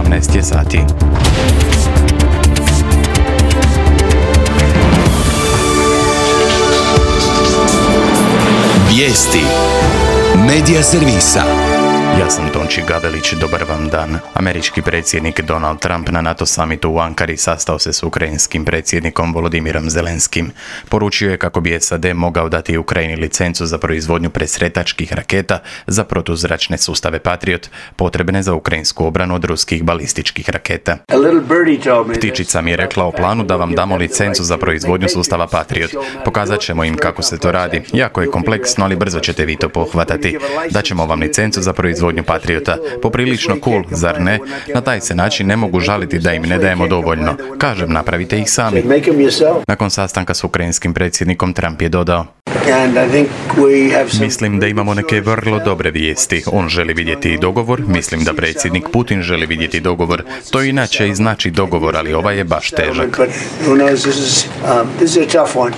18 je sati. Vijesti Medija servisa. Ja sam Tonči Gavelić, dobar vam dan. Američki predsjednik Donald Trump na NATO summitu u Ankari sastao se s ukrajinskim predsjednikom Volodimirom Zelenskim. Poručio je kako bi SAD mogao dati Ukrajini licencu za proizvodnju presretačkih raketa za protuzračne sustave Patriot, potrebne za ukrajinsku obranu od ruskih balističkih raketa. Ptičica mi je rekla o planu da vam damo licencu za proizvodnju sustava Patriot. Pokazat ćemo im kako se to radi. Jako je kompleksno, ali brzo ćete vi to pohvatati. Daćemo vam licencu za proizvodnju Patriota. Poprilično cool, zar ne? Na taj se način ne mogu žaliti da im ne dajemo dovoljno. Kažem, napravite ih sami. Nakon sastanka s ukrajinskim predsjednikom Trump je dodao: Mislim da imamo neke vrlo dobre vijesti. On želi vidjeti i dogovor. Mislim da predsjednik Putin želi vidjeti dogovor. To inače i znači dogovor, ali ovaj je baš težak.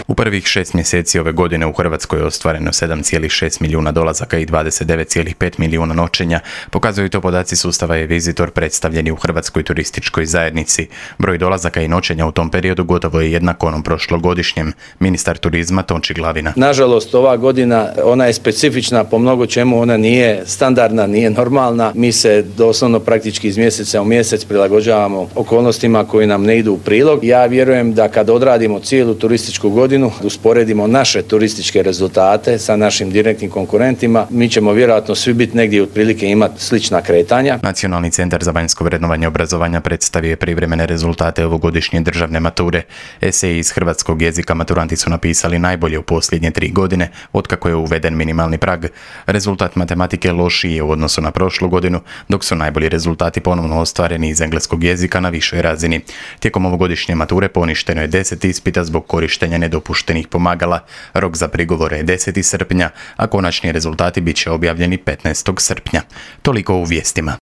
U prvih 6 mjeseci ove godine u Hrvatskoj je ostvareno 7,6 milijuna dolazaka i 29,5 milijuna noćenja. Pokazuju to podaci sustava e-Visitor predstavljeni u Hrvatskoj turističkoj zajednici. Broj dolazaka i noćenja u tom periodu gotovo je jednak onom prošlogodišnjem. Ministar turizma Tonči Glavina: Nažalost, ova godina, ona je specifična po mnogo čemu, ona nije standardna, nije normalna. Mi se doslovno praktički iz mjeseca u mjesec prilagođavamo okolnostima koji nam ne idu u prilog. Ja vjerujem da kad odradimo cijelu turističku godinu, usporedimo naše turističke rezultate sa našim direktnim konkurentima, mi ćemo vjerojatno svi biti negdje otprilike imati slična kretanja. Nacionalni centar za vanjsko vrednovanje obrazovanja predstavio je privremene rezultate ovogodišnje državne mature. Eseji iz hrvatskog jezika maturanti su napisali najbolje u posljednje 3 godine, otkako je uveden minimalni prag. Rezultat matematike lošiji je u odnosu na prošlu godinu, dok su najbolji rezultati ponovno ostvareni iz engleskog jezika na višoj razini. Tijekom ovogodišnje mature poništeno je 10 ispita zbog korištenja nedopuštenih pomagala. Rok za prigovore je 10. srpnja, a konačni rezultati bit će objavljeni 15. srpnja. Toliko u vijestima.